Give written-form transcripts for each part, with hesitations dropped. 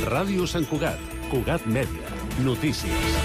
Ràdio Sant Cugat, Cugat Mèdia, notícies.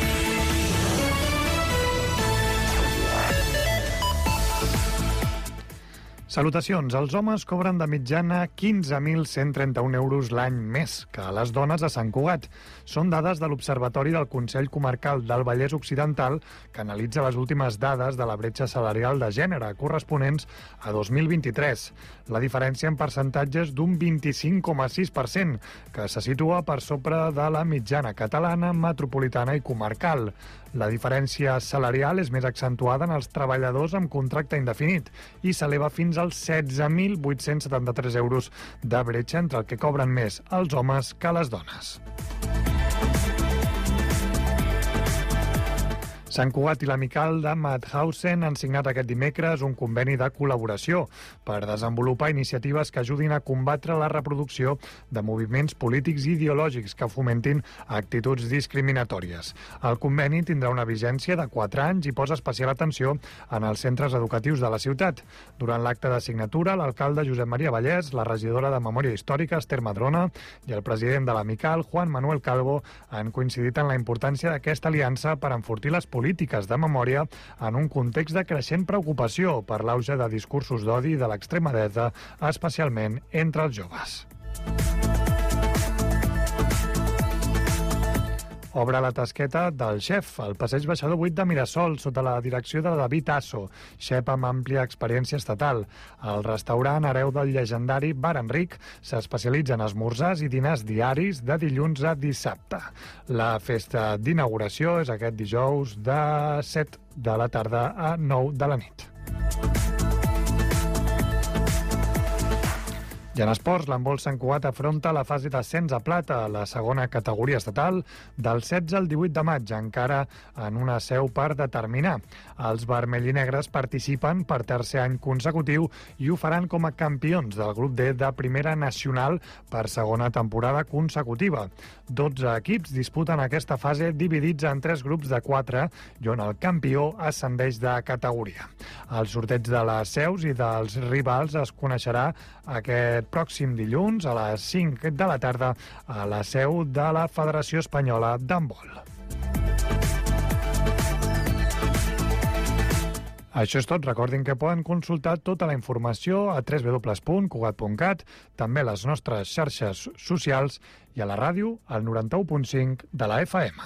Salutacions. Els homes cobren de mitjana 15.131 euros l'any més que les dones a Sant Cugat. Són dades de l'Observatori del Consell Comarcal del Vallès Occidental, que analitza les últimes dades de la bretxa salarial de gènere, corresponents a 2023. La diferència en percentatges d'un 25,6%, que se situa per sobre de la mitjana catalana, metropolitana i comarcal. La diferència salarial és més accentuada en els treballadors amb contracte indefinit i s'eleva fins als 16.873 euros de bretxa entre el que cobren més els homes que les dones. Sant Cugat i l'Amical de Mauthausen han signat aquest dimecres un conveni de col·laboració per desenvolupar iniciatives que ajudin a combatre la reproducció de moviments polítics i ideològics que fomentin actituds discriminatòries. El conveni tindrà una vigència de 4 anys i posa especial atenció en els centres educatius de la ciutat. Durant l'acte de signatura, l'alcalde Josep Maria Vallès, la regidora de Memòria Històrica, Esther Madrona, i el president de l'Amical, Juan Manuel Calvo, han coincidit en la importància d'aquesta aliança per enfortir les polítiques de memòria en un context de creixent preocupació per l'auge de discursos d'odi de l'extrema dreta, especialment entre els joves. Obre la tasqueta del xef, al passeig Baixador 8 de Mirasol, sota la direcció de David Asso, xef amb àmplia experiència estatal. El restaurant, hereu del llegendari Bar Enric, s'especialitza en esmorzars i dinars diaris de dilluns a dissabte. La festa d'inauguració és aquest dijous de 7 de la tarda a 9 de la nit. I en esports, l'handbol Sant Cugat afronta la fase d'ascens a plata a la segona categoria estatal del 16 al 18 de maig, encara en una seu per determinar. Els vermellinegres participen per tercer any consecutiu i ho faran com a campions del grup D de Primera Nacional per segona temporada consecutiva. 12 equips disputen aquesta fase dividits en 3 grups de 4 i on el campió ascendeix de categoria. El sorteig de les seus i dels rivals es coneixerà aquest pròxim dilluns a les 5 de la tarda a la seu de la Federació Espanyola d'Handbol. Això és tot. Recordin que poden consultar tota la informació a www.cugat.cat, també a les nostres xarxes socials i a la ràdio al 91.5 de la FM.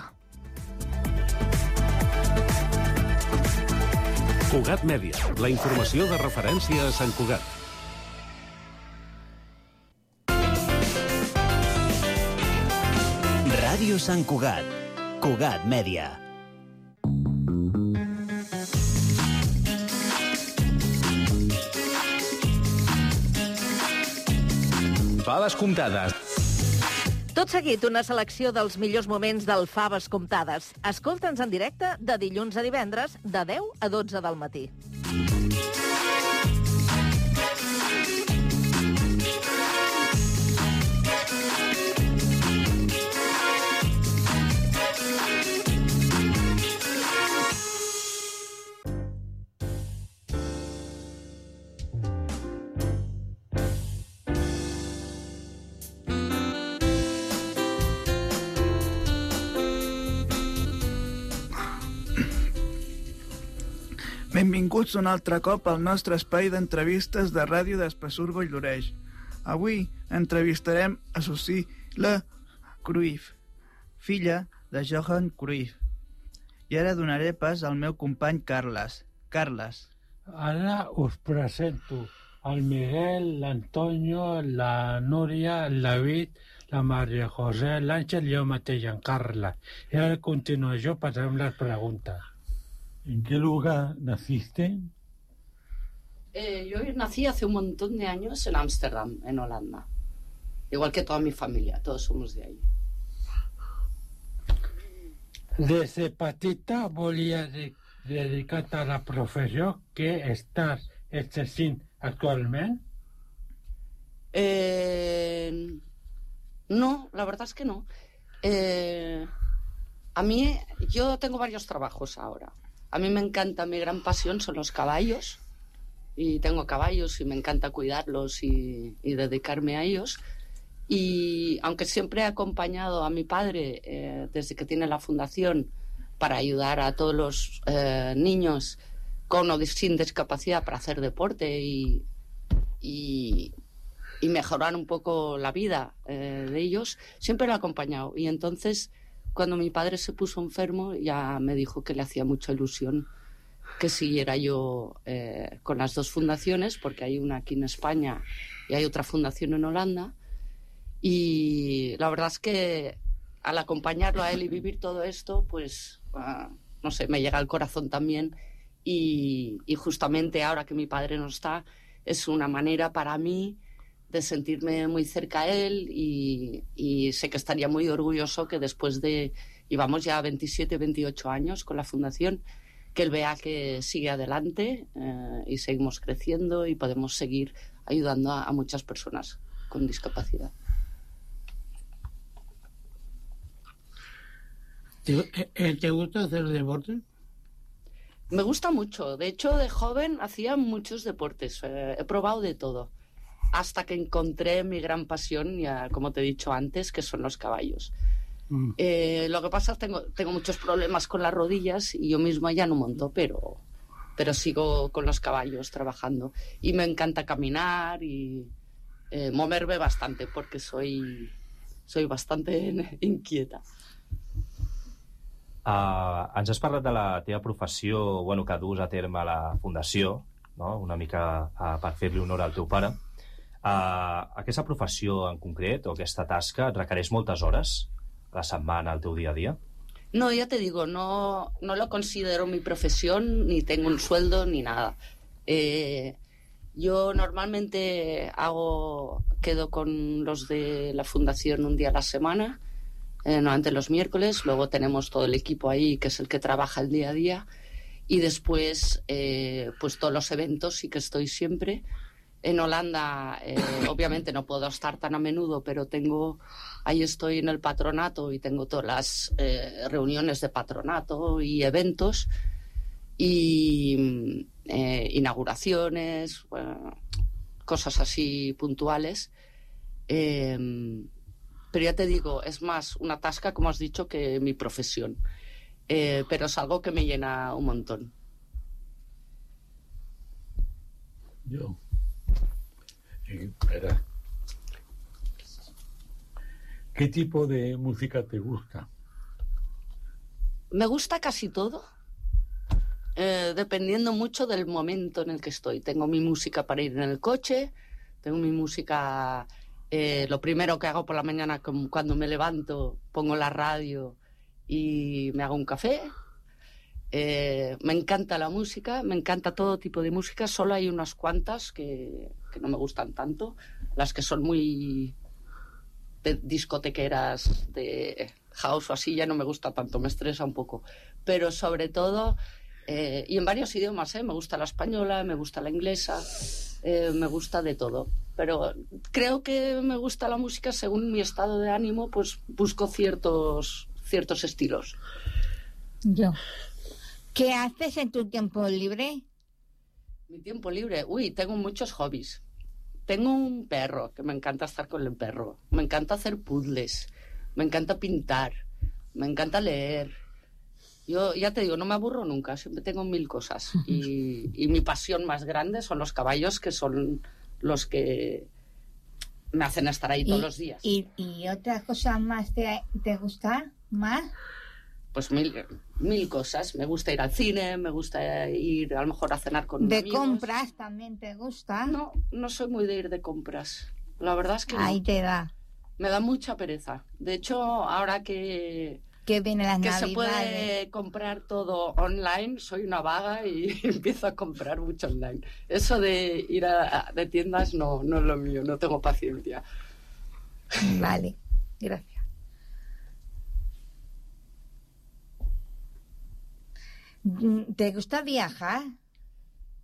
Cugat Mèdia, la informació de referència a Sant Cugat. Ràdio Sant Cugat, Cugat Mèdia. Faves comptades. Tot seguit, una selecció dels millors moments del Faves comptades. Escolta'ns en directe de dilluns a divendres, de 10 a 12 del matí. Benvinguts un altre cop al nostre espai d'entrevistes de ràdio d'Espessur Vall-d'Oreix. Avui entrevistarem a Cecilia Cruyff, filla de Johan Cruyff. I ara donaré pas al meu company Carles. Carles. Ara us presento el Miguel, l'Antonio, la Núria, el David, la Maria José, l'Àngel i jo mateix, en Carles. I ara a continuació passarem les preguntes. ¿En qué lugar naciste? Yo nací hace un montón de años en Ámsterdam, en Holanda. Igual que toda mi familia, todos somos de ahí. Des de petita volia dedicar-te a la professió que estàs exercint actualment? No, la verdad es que no. Yo tengo varios trabajos ahora. A mí me encanta, mi gran pasión son los caballos, y tengo caballos y me encanta cuidarlos y dedicarme a ellos. Y aunque siempre he acompañado a mi padre desde que tiene la fundación para ayudar a todos los niños con o sin discapacidad para hacer deporte y mejorar un poco la vida de ellos, siempre lo he acompañado. Y entonces, cuando mi padre se puso enfermo, ya me dijo que le hacía mucha ilusión que siguiera yo con las dos fundaciones, porque hay una aquí en España y hay otra fundación en Holanda. Y la verdad es que al acompañarlo a él y vivir todo esto, pues, no sé, me llega al corazón también. Y justamente ahora que mi padre no está, es una manera para mí de sentirme muy cerca a él y sé que estaría muy orgulloso que después de, llevamos ya 27, 28 años con la fundación, que él vea que sigue adelante y seguimos creciendo y podemos seguir ayudando a muchas personas con discapacidad. ¿Te gusta hacer deporte? Me gusta mucho. De hecho, de joven hacía muchos deportes. He probado de todo. Hasta que encontré mi gran pasión, ya como te he dicho antes, que son los caballos. Lo que pasa es que tengo muchos problemas con las rodillas y yo misma ya no monto, pero sigo con los caballos trabajando. Y me encanta caminar y moverme bastante, porque soy bastante inquieta. Ens has parlat de la teva professió, bueno, que dus a terme a la Fundació, no? Una mica per fer-li honor al teu pare. Aquesta professió en concret, o aquesta tasca, et requereix moltes hores a la setmana, al teu dia a dia? No, ya te digo, no lo considero mi profesión, ni tengo un sueldo, ni nada. Yo normalmente quedo con los de la Fundación un día a la semana, normalmente los miércoles, luego tenemos todo el equipo ahí que es el que trabaja el día a día y después pues todos los eventos sí que estoy siempre. En Holanda obviamente no puedo estar tan a menudo, pero ahí estoy en el patronato y tengo todas las reuniones de patronato y eventos y inauguraciones, cosas así puntuales. Pero ya te digo, es más una tasca, como has dicho, que mi profesión. Pero es algo que me llena un montón. Yo. Espera. ¿Qué tipo de música te gusta? Me gusta casi todo, dependiendo mucho del momento en el que estoy. Tengo mi música para ir en el coche, tengo mi música... lo primero que hago por la mañana, cuando me levanto, pongo la radio y me hago un café. Me encanta la música, me encanta todo tipo de música. Solo hay unas cuantas que no me gustan tanto. Las que son muy discotequeras, de house o así, ya no me gusta tanto, me estresa un poco. Pero sobre todo, y en varios idiomas, me gusta la española, me gusta la inglesa, me gusta de todo. Pero creo que me gusta la música según mi estado de ánimo, pues busco ciertos estilos. Yo. ¿Qué haces en tu tiempo libre? Mi tiempo libre, tengo muchos hobbies. Tengo un perro, que me encanta estar con el perro. Me encanta hacer puzzles, me encanta pintar, me encanta leer. Yo ya te digo, no me aburro nunca, siempre tengo 1000 cosas. Y mi pasión más grande son los caballos, que son los que me hacen estar ahí todos los días. ¿Y otra cosa más te gusta? ¿Más? Pues mil cosas. Me gusta ir al cine, me gusta ir a lo mejor a cenar con amigos. ¿De compras también te gusta? No soy muy de ir de compras. La verdad es que no. Ahí te da. Me da mucha pereza. De hecho, ahora que viene las que Navidades, se puede comprar todo online, soy una vaga y empiezo a comprar mucho online. Eso de ir de tiendas no es lo mío, no tengo paciencia. Vale, gracias. ¿Te gusta viajar?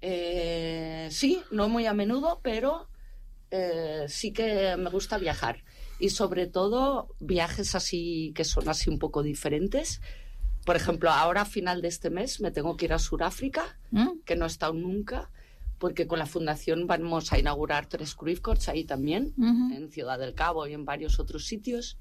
Sí, no muy a menudo, pero sí que me gusta viajar. Y sobre todo viajes así que son así un poco diferentes. Por ejemplo, ahora a final de este mes me tengo que ir a Sudáfrica, que no he estado nunca, porque con la fundación vamos a inaugurar 3 Cruyff Courts ahí también, en Ciudad del Cabo y en varios otros sitios.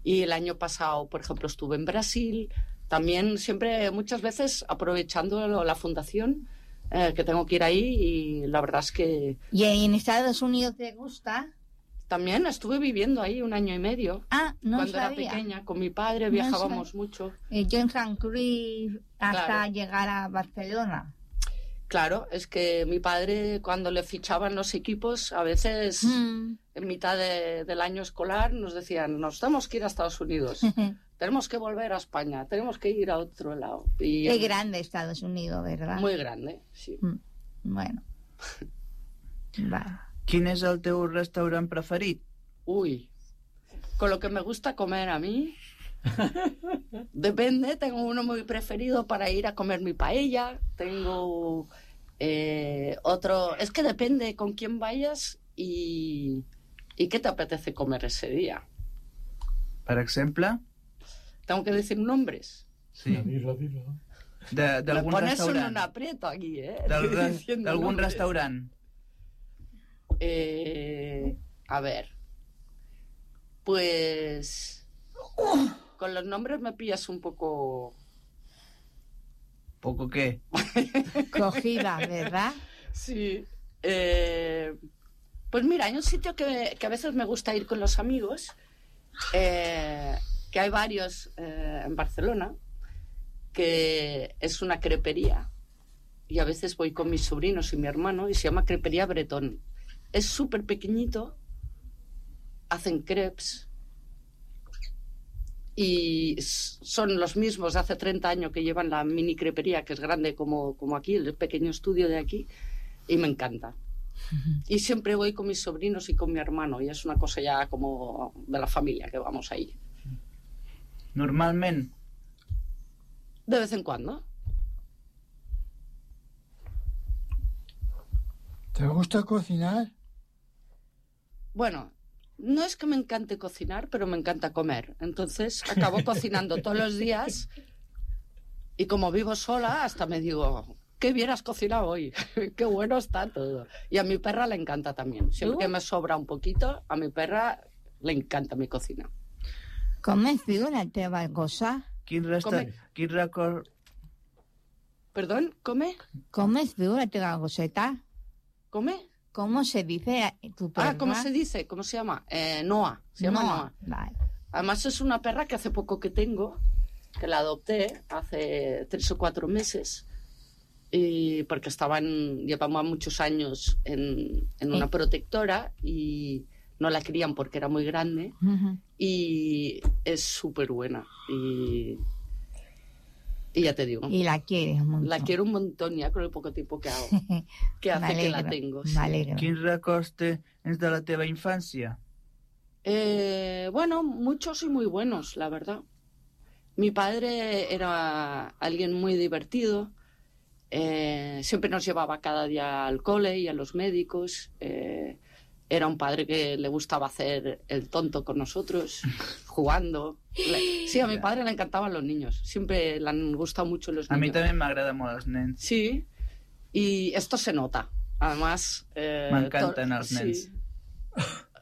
Y el año pasado, por ejemplo, estuve en Brasil, también siempre, muchas veces, aprovechando la fundación, que tengo que ir ahí, y la verdad es que... ¿Y en Estados Unidos te gusta? También estuve viviendo ahí 1 año y medio. Ah, no Cuando sabía. era pequeña, con mi padre viajábamos mucho. Yo en San Cruz hasta Claro. llegar a Barcelona. Claro, es que mi padre, cuando le fichaban los equipos, a veces en mitad del año escolar nos decían, nos tenemos que ir a Estados Unidos, tenemos que volver a España, tenemos que ir a otro lado. Y Es grande Estados Unidos, ¿verdad? muy grande, sí. Bueno. Vale. Quin és el teu restaurant preferit? Uy, con lo que me gusta comer a mí, depende, tengo uno muy preferido para ir a comer mi paella, tengo otro, es que depende con quién vayas y qué te apetece comer ese día. Per exemple? Tengo que decir nombres. Sí. Dilo. Me D'algun pones en un restaurant. aprieto aquí, Diciendo D'algun nombres. restaurant. A ver, pues con los nombres me pillas un poco... ¿Poco qué? Cogida, ¿verdad? Sí. Pues mira, hay un sitio que a veces me gusta ir con los amigos, que hay varios en Barcelona, que es una crepería. Y a veces voy con mis sobrinos y mi hermano y se llama Crepería Bretón. Es súper pequeñito, hacen crepes y son los mismos de hace 30 años que llevan la mini crepería, que es grande como aquí, el pequeño estudio de aquí, y me encanta. Y siempre voy con mis sobrinos y con mi hermano, y es una cosa ya como de la familia que vamos ahí. Normalment. De vez en cuando. ¿Te gusta cocinar? Bueno, no es que me encante cocinar, pero me encanta comer. Entonces acabo cocinando todos los días y como vivo sola, hasta me digo, qué bien has cocinado hoy, qué bueno está todo. Y a mi perra le encanta también. Siempre que me sobra un poquito, a mi perra le encanta mi cocina. ¿Comes viu la teva cosa? Quin record... ¿Perdón? ¿Come? ¿Comes viu la teva goseta? ¿Come? ¿Cómo se dice tu perra? Ah, ¿cómo se dice? ¿Cómo se llama? Noa. Se llama Noa. Vale. Además es una perra que hace poco que tengo, que la adopté hace 3 o 4 meses, y porque llevaba muchos años en una protectora y no la crían porque era muy grande, y es súper buena. Y ya te digo. Y la quieres mucho. La quiero un montón ya con el poco tiempo que hago. Que hace que la tengo. Sí. Quins records tens de la teva infància? Bueno, muchos y muy buenos, la verdad. Mi padre era alguien muy divertido. Siempre nos llevaba cada día al cole y a los médicos. Era un padre que le gustaba hacer el tonto con nosotros, jugando. Sí, a mi padre le encantaban los niños. Siempre le han gustado mucho los niños. A mi també m'agrada molt els nens. Sí, y esto se nota. Además... M'encanten els nens. Sí.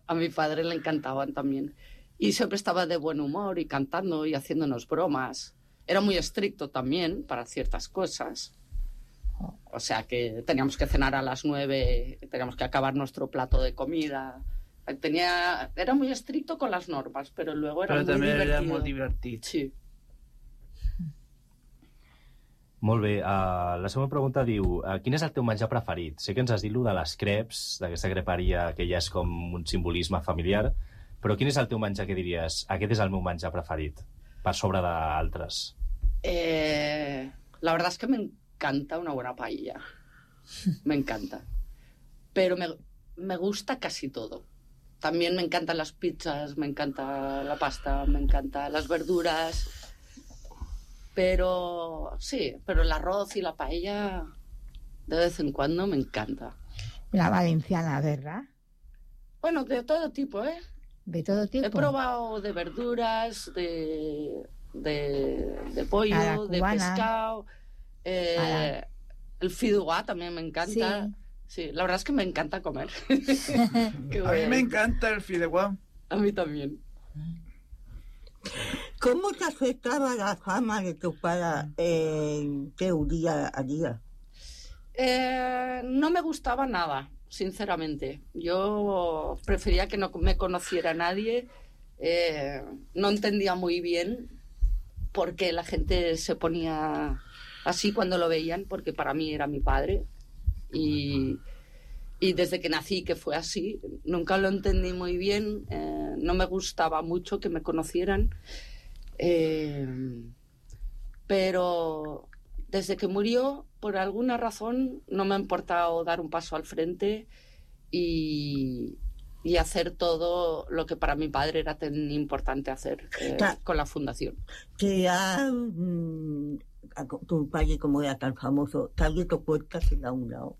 A mi padre le encantaban también. Y siempre estaba de buen humor y cantando y haciéndonos bromas. Era muy estricto también para ciertas cosas. O sea que teníamos que cenar a las 9, teníamos que acabar nuestro plato de comida. Era muy estricto con las normas, pero luego era Però muy també divertido. era molt divertit. Sí. Molt bé, la següent pregunta diu, quin és el teu menjar preferit? Sé que ens has dit de les creps, d'aquesta creperia que ja és com un simbolisme familiar, però quin és el teu menjar que diries, aquest és el meu menjar preferit, per sobre d'altres? La verdad es que me encanta una buena paella. Me encanta. Pero me gusta casi todo. También me encantan las pizzas, me encanta la pasta, me encantan las verduras. Pero sí, pero el arroz y la paella de vez en cuando me encanta. La valenciana, ¿verdad? Bueno, de todo tipo, ¿eh? De todo tipo. He probado de verduras, de pollo, de pescado. El fideuà también me encanta. Sí. Sí, la verdad es que me encanta comer. A mí me encanta el fideuà. A mí también. ¿Cómo te afectaba la fama de tu padre en tu día a día? No me gustaba nada, sinceramente. Yo prefería que no me conociera nadie. No entendía muy bien por qué la gente se ponía así cuando lo veían, porque para mí era mi padre. Y desde que nací que fue así, nunca lo entendí muy bien. No me gustaba mucho que me conocieran. Pero desde que murió, por alguna razón, no me ha importado dar un paso al frente y hacer todo lo que para mi padre era tan importante hacer con la fundación. Que ya tu padre, como era tan famoso, te ha abierto puertas en algún lado.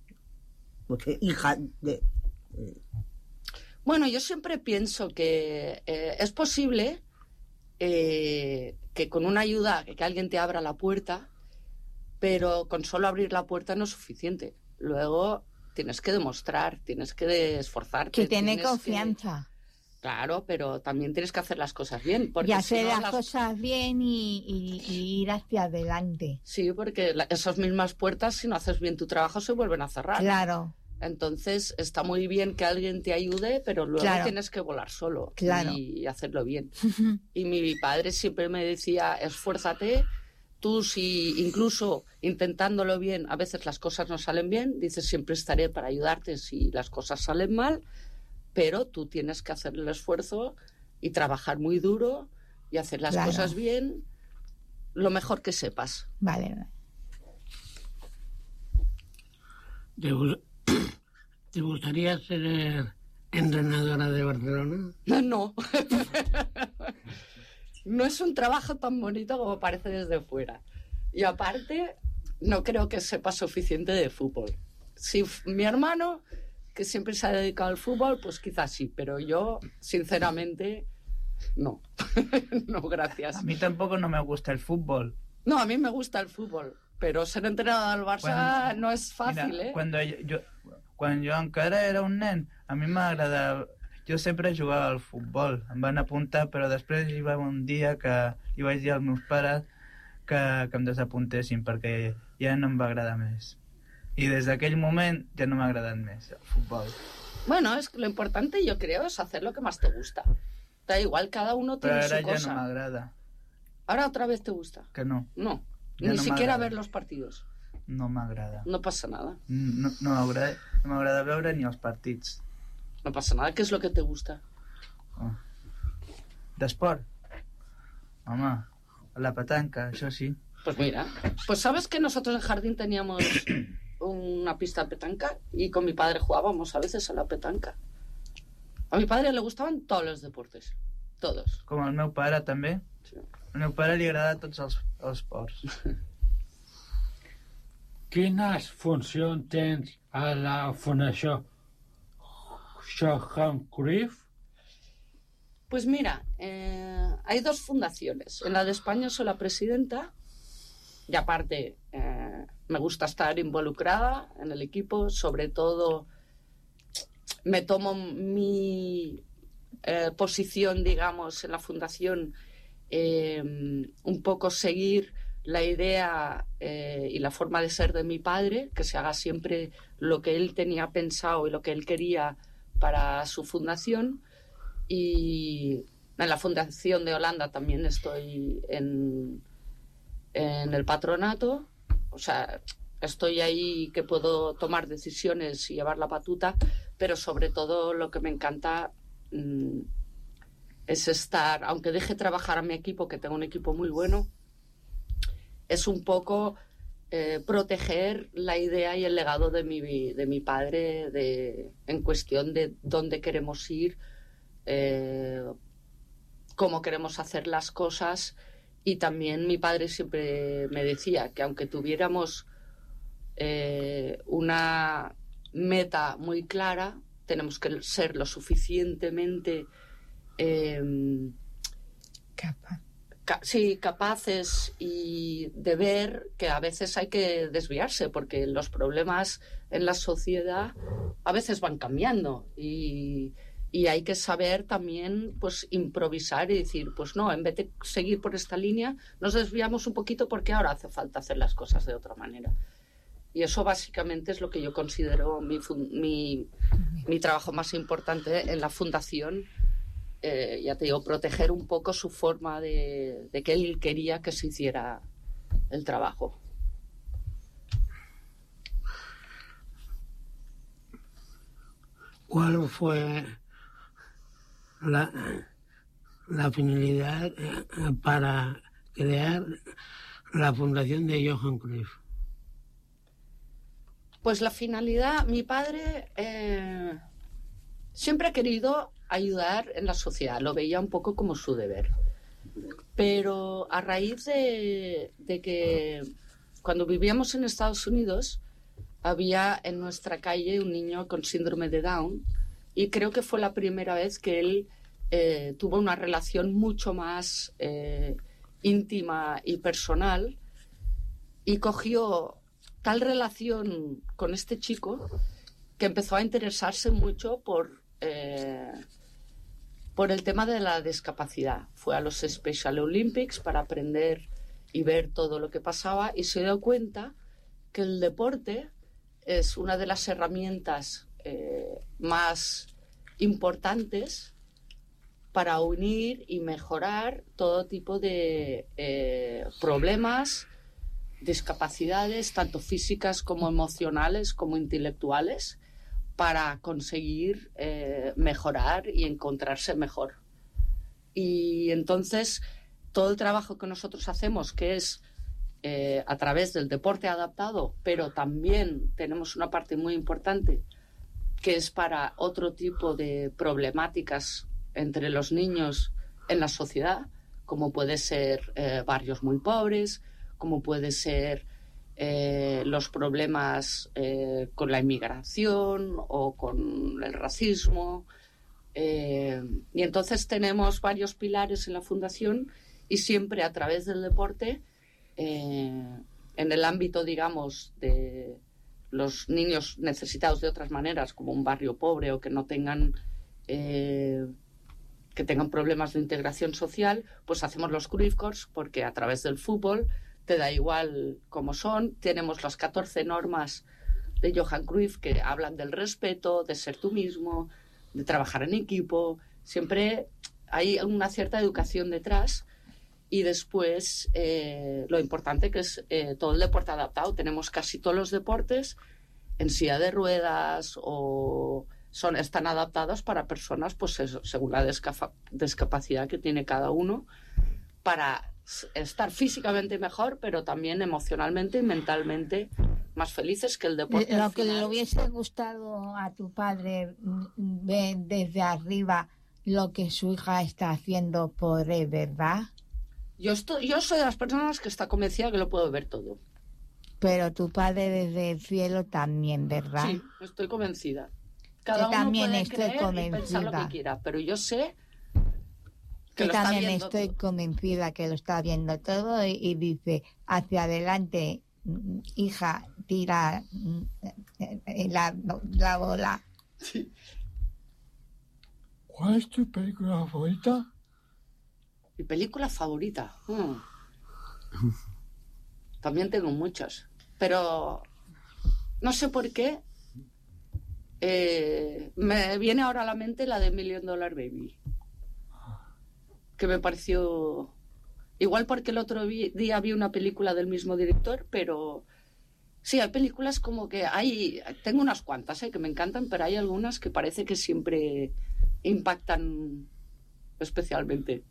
Porque hija de... Bueno, yo siempre pienso que es posible que con una ayuda, que alguien te abra la puerta, pero con solo abrir la puerta no es suficiente. Luego tienes que demostrar, tienes que esforzarte. Que tener confianza. Claro, pero también tienes que hacer las cosas bien. Y hacer las cosas bien y ir hacia adelante. Sí, porque esas mismas puertas, si no haces bien tu trabajo, se vuelven a cerrar. Claro. Entonces está muy bien que alguien te ayude, pero luego tienes que volar solo y hacerlo bien. Y mi padre siempre me decía, esfuérzate. Tú, si incluso intentándolo bien, a veces las cosas no salen bien, dices, siempre estaré para ayudarte si las cosas salen mal, pero tú tienes que hacer el esfuerzo y trabajar muy duro y hacer las cosas bien, lo mejor que sepas. Vale. ¿Te gustaría ser entrenadora de Barcelona? No. No es un trabajo tan bonito como parece desde fuera. Y aparte, no creo que sepa suficiente de fútbol. Si mi hermano, que siempre se ha dedicado al fútbol, pues quizás sí, pero yo, sinceramente, no. No, gracias. A mí tampoco no me gusta el fútbol. No, a mí me gusta el fútbol, pero ser entrenador del Barça no es fàcil, mira, quan jo encara era un nen, a mi m'agradava... Jo sempre jugava al futbol, em van apuntar, però després hi va un dia que hi vaig dir als meus pares que em desapuntessin perquè ja no em va agradar més. Y desde aquel moment ya no me ha agradado más el fútbol. Bueno, es que lo importante yo creo es hacer lo que más te gusta. Da igual, cada uno tiene su cosa. Pero ahora ya no me agrada. ¿Ahora otra vez te gusta? Que no. No, ya ni no siquiera ver los partidos. No m'agrada. No pasa nada. No m'agrada veure ni els partits. No pasa nada. ¿Qué es lo que te gusta? Oh. D'esport? Home, la petanca, això sí. Pues mira, pues sabes que nosotros en jardín teníamos una pista de petanca y con mi padre jugábamos a veces a la petanca. A mi padre le gustaban todos los deportes, todos. Com al meu pare també. Sí. Al meu pare li agrada tots els esports. Quines funcions tens a la Fundació Johan Cruyff? Pues mira, hay dos fundaciones. En la de España soy la presidenta y aparte me gusta estar involucrada en el equipo. Sobre todo me tomo mi posición, digamos, en la fundación, un poco seguir la idea y la forma de ser de mi padre, que se haga siempre lo que él tenía pensado y lo que él quería para su fundación. Y en la Fundación de Holanda también estoy en el patronato, o sea, estoy ahí que puedo tomar decisiones y llevar la batuta, pero sobre todo lo que me encanta es estar, aunque deje trabajar a mi equipo, que tengo un equipo muy bueno, es un poco proteger la idea y el legado de mi padre en cuestión de dónde queremos ir, cómo queremos hacer las cosas. Y también mi padre siempre me decía que aunque tuviéramos una meta muy clara, tenemos que ser lo suficientemente capaces y de ver que a veces hay que desviarse, porque los problemas en la sociedad a veces van cambiando y hay que saber también pues improvisar y decir, pues no, en vez de seguir por esta línea, nos desviamos un poquito porque ahora hace falta hacer las cosas de otra manera. Y eso básicamente es lo que yo considero mi trabajo más importante en la fundación. Ya te digo, proteger un poco su forma de que él quería que se hiciera el trabajo. ¿Cuál fue la finalidad para crear la fundación de Johan Cruyff? Pues la finalidad, mi padre siempre ha querido ayudar en la sociedad, lo veía un poco como su deber. Pero a raíz de que cuando vivíamos en Estados Unidos había en nuestra calle un niño con síndrome de Down y creo que fue la primera vez que él tuvo una relación mucho más íntima y personal y cogió tal relación con este chico que empezó a interesarse mucho por el tema de la discapacidad. Fue a los Special Olympics para aprender y ver todo lo que pasaba y se dio cuenta que el deporte es una de las herramientas más importantes para unir y mejorar todo tipo de problemas, discapacidades, tanto físicas como emocionales como intelectuales, para conseguir mejorar y encontrarse mejor. Y entonces todo el trabajo que nosotros hacemos, que es a través del deporte adaptado, pero también tenemos una parte muy importante que es para otro tipo de problemáticas entre los niños en la sociedad, como puede ser barrios muy pobres, como puede ser los problemas con la inmigración o con el racismo. Y entonces tenemos varios pilares en la fundación y siempre a través del deporte, en el ámbito, digamos, de los niños necesitados de otras maneras, como un barrio pobre o que no tengan que tengan problemas de integración social, pues hacemos los Cruyff Courts, porque a través del fútbol te da igual cómo son. Tenemos las 14 normas de Johan Cruyff que hablan del respeto, de ser tú mismo, de trabajar en equipo. Siempre hay una cierta educación detrás. Y después lo importante que es todo el deporte adaptado. Tenemos casi todos los deportes en silla de ruedas o están adaptados para personas, pues eso, según la discapacidad que tiene cada uno, para estar físicamente mejor, pero también emocionalmente y mentalmente más felices, que el deporte. Lo que le hubiese gustado a tu padre ver desde arriba lo que su hija está haciendo por él, ¿verdad? Yo soy de las personas que está convencida que lo puedo ver todo. Pero tu padre desde el cielo también, ¿verdad? Sí, estoy convencida. Cada uno también puede estoy creer y pensar lo que quiera, pero yo sé que lo está también viendo estoy todo. convencida que lo está viendo todo y dice, hacia adelante, hija, tira la bola. Sí. ¿Cuál es tu película favorita? Mi película favorita. También tengo muchas, pero no sé por qué me viene ahora a la mente la de $1 Million Baby, que me pareció igual porque el otro día vi una película del mismo director, pero sí, hay películas como que tengo unas cuantas que me encantan, pero hay algunas que parece que siempre impactan especialmente.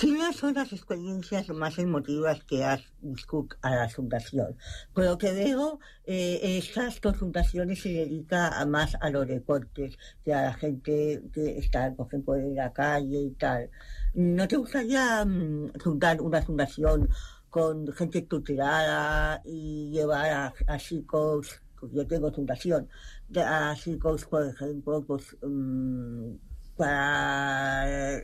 ¿Quiénes son las experiencias más emotivas que has viscut a la fundación? Por lo que veo, estas dos fundaciones se dedican más a los deportes, que a la gente que está, por ejemplo, en la calle y tal. ¿No te gustaría fundar una fundación con gente tutelada y llevar a chicos, pues yo tengo fundación, a chicos, por ejemplo, pues para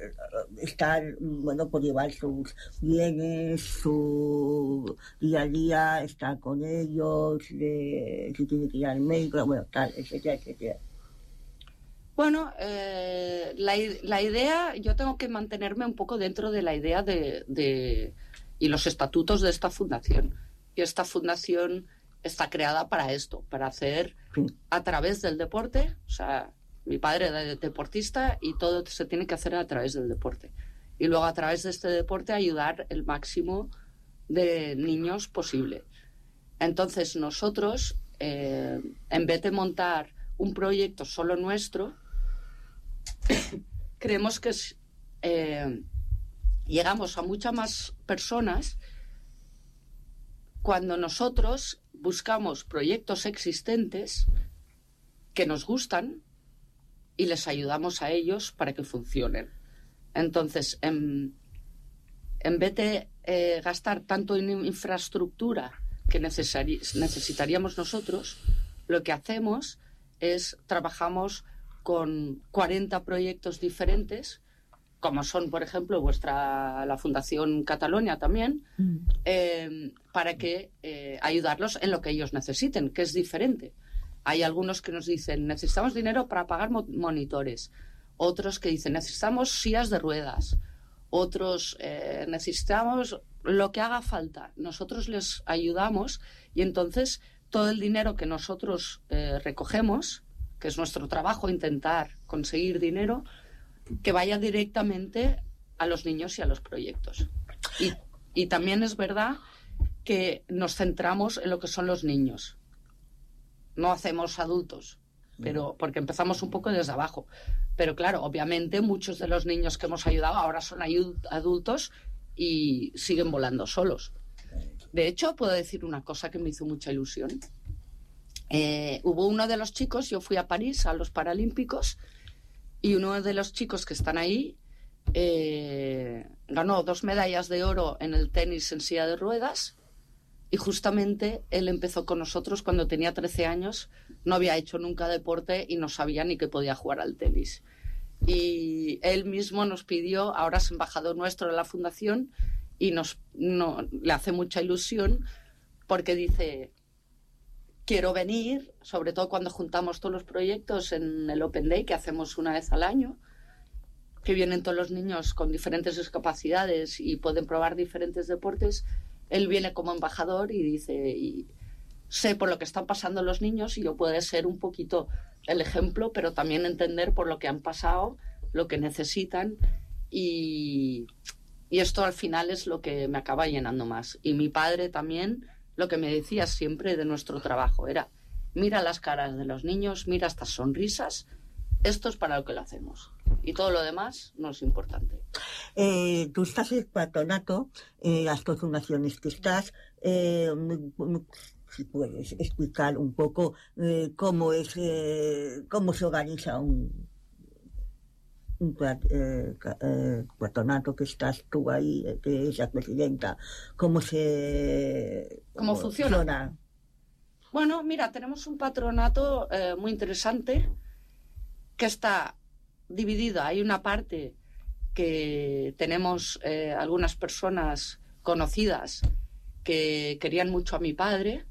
estar, bueno, por llevar sus bienes, su día a día, estar con ellos, si tiene que ir al médico, bueno, tal, etcétera, etcétera. Bueno, la idea, yo tengo que mantenerme un poco dentro de la idea y los estatutos de esta fundación. Y esta fundación está creada para esto, para hacer a través del deporte, o sea, mi padre es deportista y todo se tiene que hacer a través del deporte. Y luego a través de este deporte ayudar el máximo de niños posible. Entonces nosotros, en vez de montar un proyecto solo nuestro, creemos que llegamos a muchas más personas cuando nosotros buscamos proyectos existentes que nos gustan y les ayudamos a ellos para que funcionen. Entonces, en vez de gastar tanto en infraestructura que necesitaríamos nosotros, lo que hacemos es trabajamos con 40 proyectos diferentes, como son, por ejemplo, la Fundación Catalonia también, para que ayudarlos en lo que ellos necesiten, que es diferente. Hay algunos que nos dicen, necesitamos dinero para pagar monitores. Otros que dicen, necesitamos sillas de ruedas. Otros, necesitamos lo que haga falta. Nosotros les ayudamos y entonces todo el dinero que nosotros recogemos, que es nuestro trabajo, intentar conseguir dinero, que vaya directamente a los niños y a los proyectos. Y también es verdad que nos centramos en lo que son los niños. No hacemos adultos, pero porque empezamos un poco desde abajo. Pero claro, obviamente muchos de los niños que hemos ayudado ahora son adultos y siguen volando solos. De hecho, puedo decir una cosa que me hizo mucha ilusión. Hubo uno de los chicos, yo fui a París a los Paralímpicos, y uno de los chicos que están ahí ganó 2 medallas de oro en el tenis en silla de ruedas. Y justamente él empezó con nosotros cuando tenía 13 años, no había hecho nunca deporte y no sabía ni que podía jugar al tenis. Y él mismo nos pidió, ahora es embajador nuestro de la fundación, y le hace mucha ilusión porque dice, quiero venir, sobre todo cuando juntamos todos los proyectos en el Open Day, que hacemos una vez al año, que vienen todos los niños con diferentes discapacidades y pueden probar diferentes deportes. Él viene como embajador y dice, y sé por lo que están pasando los niños y yo puedo ser un poquito el ejemplo, pero también entender por lo que han pasado, lo que necesitan y esto al final es lo que me acaba llenando más. Y mi padre también, lo que me decía siempre de nuestro trabajo era, mira las caras de los niños, mira estas sonrisas, esto es para lo que lo hacemos. Y todo lo demás no es importante. Tú estás en el patronato, las dos fundaciones que estás, si puedes explicar un poco cómo se organiza un patronato que estás tú ahí, que es la presidenta, cómo funciona. Bueno, mira, tenemos un patronato muy interesante que está dividido. Hay una parte que tenemos algunas personas conocidas que querían mucho a mi padre,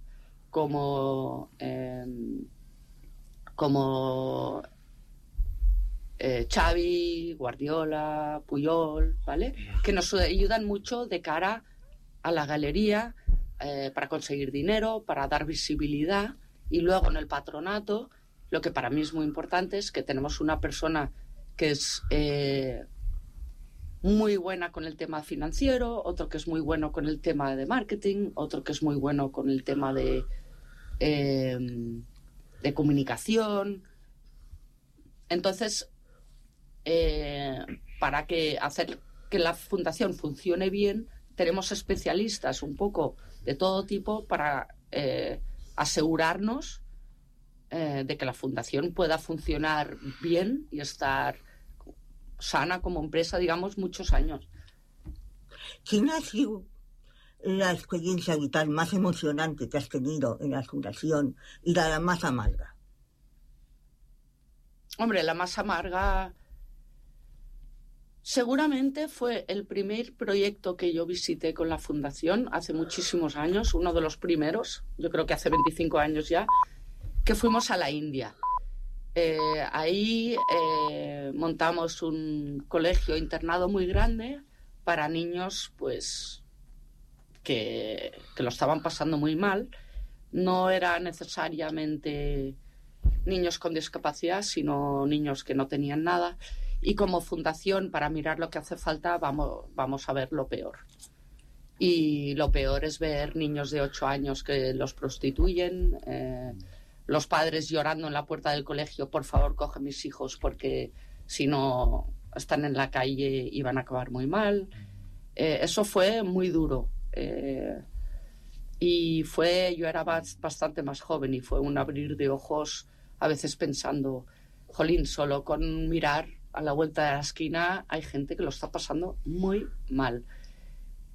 como Xavi, Guardiola, Puyol, ¿vale? Que nos ayudan mucho de cara a la galería para conseguir dinero, para dar visibilidad. Y luego en el patronato, lo que para mí es muy importante es que tenemos una persona que es muy buena con el tema financiero, otro que es muy bueno con el tema de marketing, otro que es muy bueno con el tema de comunicación. Entonces, para hacer que la fundación funcione bien, tenemos especialistas un poco de todo tipo para asegurarnos de que la fundación pueda funcionar bien y estar sana como empresa, digamos, muchos años. ¿Quién ha sido la experiencia vital más emocionante que has tenido en la fundación y la más amarga? Hombre, la más amarga Seguramente fue el primer proyecto que yo visité con la Fundación hace muchísimos años, uno de los primeros, yo creo que hace 25 años ya, que fuimos a la India. Ahí montamos un colegio internado muy grande para niños pues que lo estaban pasando muy mal. No era necesariamente niños con discapacidad, sino niños que no tenían nada. Y como fundación, para mirar lo que hace falta, vamos a ver lo peor. Y lo peor es ver niños de 8 años que los prostituyen, los padres llorando en la puerta del colegio, por favor, coge mis hijos porque si no están en la calle y van a acabar muy mal. Eso fue muy duro. Y yo era bastante más joven y fue un abrir de ojos, a veces pensando, jolín, solo con mirar a la vuelta de la esquina hay gente que lo está pasando muy mal.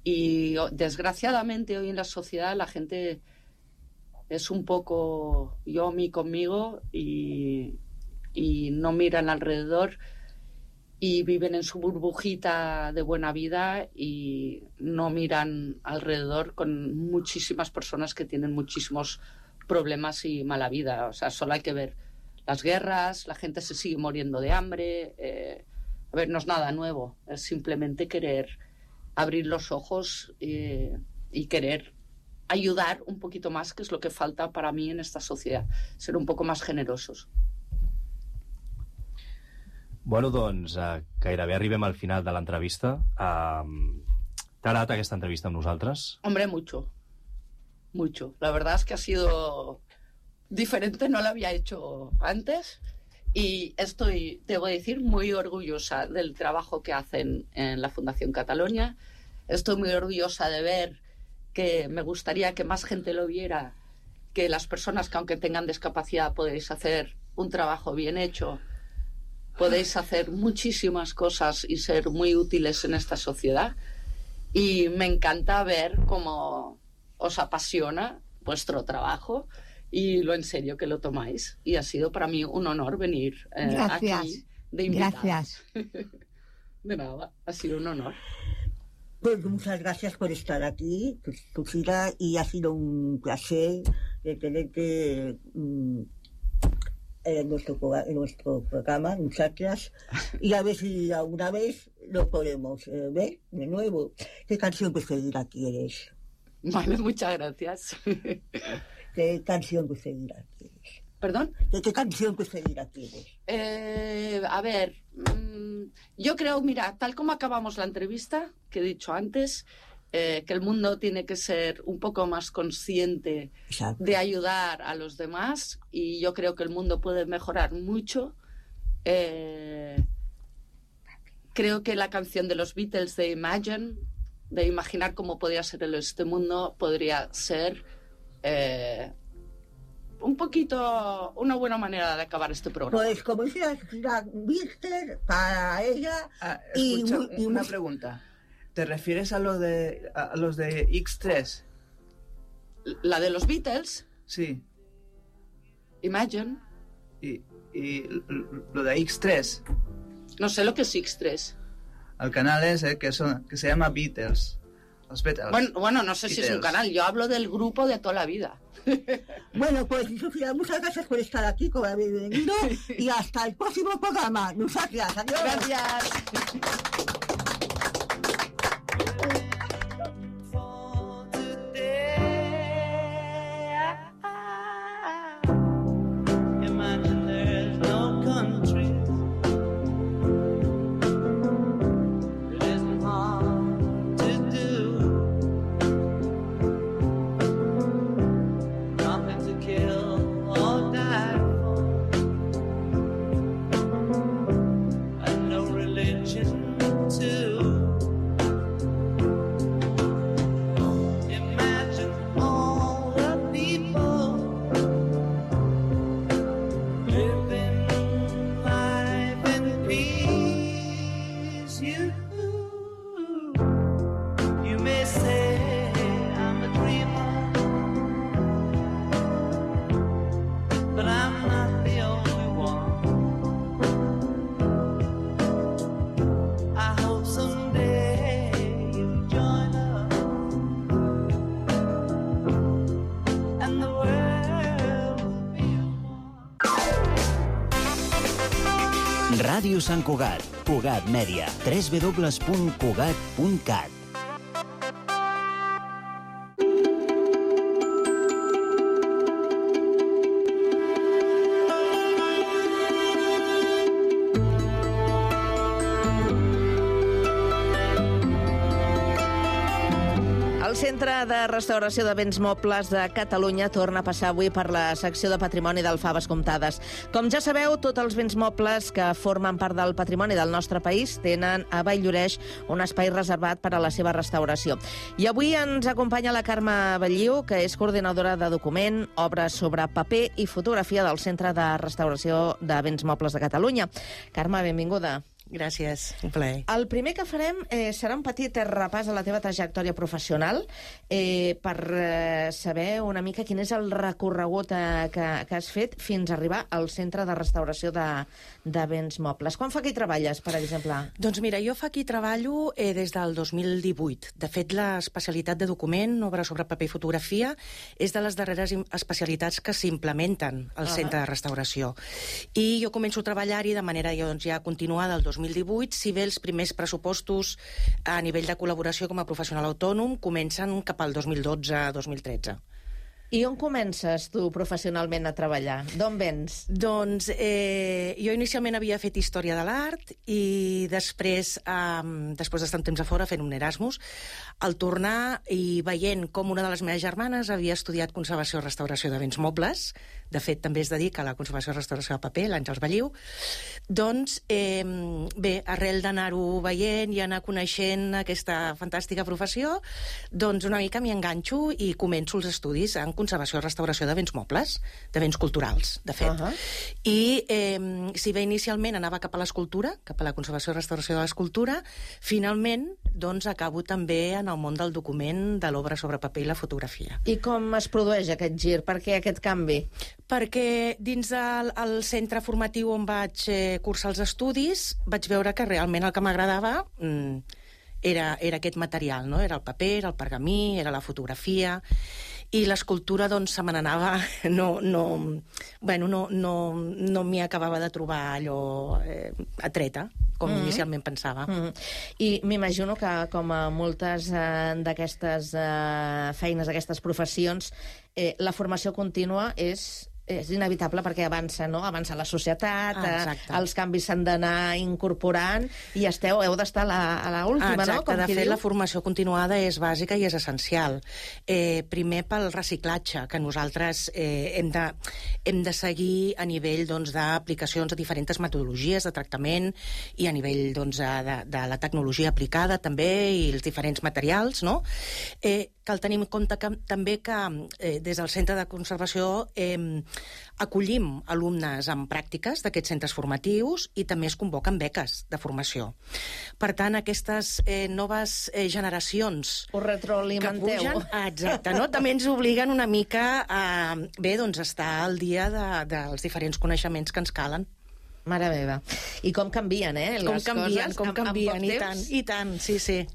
Y desgraciadamente hoy en la sociedad la gente es un poco yo, mí, conmigo y no miran alrededor y viven en su burbujita de buena vida y no miran alrededor con muchísimas personas que tienen muchísimos problemas y mala vida. O sea, solo hay que ver las guerras, la gente se sigue muriendo de hambre. A ver, no es nada nuevo, es simplemente querer abrir los ojos y querer ayudar un poquito más, que es lo que falta para mí en esta sociedad, ser un poco más generosos. Bueno, doncs gairebé arribem al final de l'entrevista. T'ha agradat aquesta entrevista amb nosaltres? Hombre, mucho. Mucho. La verdad es que ha sido diferente, no la había hecho antes y estoy, debo decir, muy orgullosa del trabajo que hacen en la Fundación Catalonia. Estoy muy orgullosa de ver que me gustaría que más gente lo viera, que las personas que aunque tengan discapacidad podéis hacer un trabajo bien hecho, podéis hacer muchísimas cosas y ser muy útiles en esta sociedad. Y me encanta ver cómo os apasiona vuestro trabajo y lo en serio que lo tomáis. Y ha sido para mí un honor venir aquí de invitada. Gracias. De nada, ha sido un honor. Pues muchas gracias por estar aquí, Susila, y ha sido un placer de tenerte en nuestro programa, muchachas, y a ver si alguna vez lo podemos ver de nuevo. ¿Qué canción preferida quieres? Vale, muchas gracias. ¿Qué canción preferida quieres? ¿Perdón? ¿Qué canción preferida quieres? A ver, yo creo, mira, tal como acabamos la entrevista, que he dicho antes, que el mundo tiene que ser un poco más consciente de ayudar a los demás y yo creo que el mundo puede mejorar mucho. Creo que la canción de los Beatles de Imagine, de imaginar cómo podría ser este mundo, podría ser un poquito una buena manera de acabar este programa. Pues como decía Víctor, para ella... Escucha, una pregunta. ¿Te refieres a los de X3? ¿La de los Beatles? Sí. Imagine. ¿Y lo de X3? No sé lo que es X3. El canal ese que se llama Beatles. Los Beatles. Bueno, no sé Beatles. Si es un canal. Yo hablo del grupo de toda la vida. Bueno, pues Sofía, muchas gracias por estar aquí, por haber venido y hasta el próximo programa. Muchas gracias. Adiós. Gracias. I hope Ràdio Sant Cugat. Cugat Mèdia. www.cugat.cat. El Centre de Restauració de Béns Mobles de Catalunya torna a passar avui per la secció de patrimoni del Faves Comptades. Com ja sabeu, tots els béns mobles que formen part del patrimoni del nostre país tenen a Vall-lloreix un espai reservat per a la seva restauració. I avui ens acompanya la Carme Belliu, que és coordinadora de document, obres sobre paper i fotografia del Centre de Restauració de Béns Mobles de Catalunya. Carme, benvinguda. Gràcies, un plaer. El primer que farem serà un petit repàs a la teva trajectòria professional per saber una mica quin és el recorregut que has fet fins a arribar al Centre de Restauració de Béns Mobles. Quan fa que hi treballes, per exemple? Doncs mira, jo fa aquí treballo des del 2018. De fet, l'especialitat de document, obra sobre paper i fotografia, és de les darreres especialitats que s'implementen al Centre de Restauració. I jo començo a treballar-hi de manera ja continuada el 2018, si bé els primers pressupostos a nivell de col·laboració com a professional autònom comencen cap al 2012-2013. I on comences tu professionalment a treballar? D'on vens? Doncs jo inicialment havia fet Història de l'Art i després d'estar un temps a fora fent un Erasmus, al tornar i veient com una de les meves germanes havia estudiat Conservació i Restauració de Béns Mobles, de fet també es dedica a la conservació i restauració de paper, l'Àngels Belliu, doncs bé, arrel d'anar-ho veient i anar coneixent aquesta fantàstica professió, doncs una mica m'hi enganxo i començo els estudis en conservació i restauració de béns mobles, de béns culturals, de fet. I si bé inicialment anava cap a l'escultura, cap a la conservació i restauració de l'escultura, finalment doncs acabo també en el món del document, de l'obra sobre paper i la fotografia. I com es produeix aquest gir? Per què aquest canvi? Perquè dins del centre formatiu on vaig cursar els estudis vaig veure que realment el que m'agradava era aquest material, no? Era el paper, era el pergamí, era la fotografia, i l'escultura doncs se me n'anava, no m'hi acabava de trobar allò atreta, com inicialment pensava. I m'imagino que, com a moltes d'aquestes feines, d'aquestes professions, la formació contínua és inevitable perquè avança, no? Avança la societat, els canvis s'han d'anar incorporant i heu d'estar a l'última, no? Exacte, de fet la formació continuada és bàsica i és essencial. Primer pel reciclatge, que nosaltres hem de seguir a nivell d'aplicacions de diferents metodologies de tractament i a nivell de la tecnologia aplicada també i els diferents materials, no? Cal tenir en compte també que des del Centre de Conservació acollim alumnes en pràctiques d'aquests centres formatius i també es convoquen beques de formació. Per tant, aquestes noves generacions ho retroalimenteu. Que pugen, exacte, no? També ens obliguen una mica a estar al dia dels diferents coneixements que ens calen. Mare meva. I com canvien, les coses. Com canvien, i tant, sí.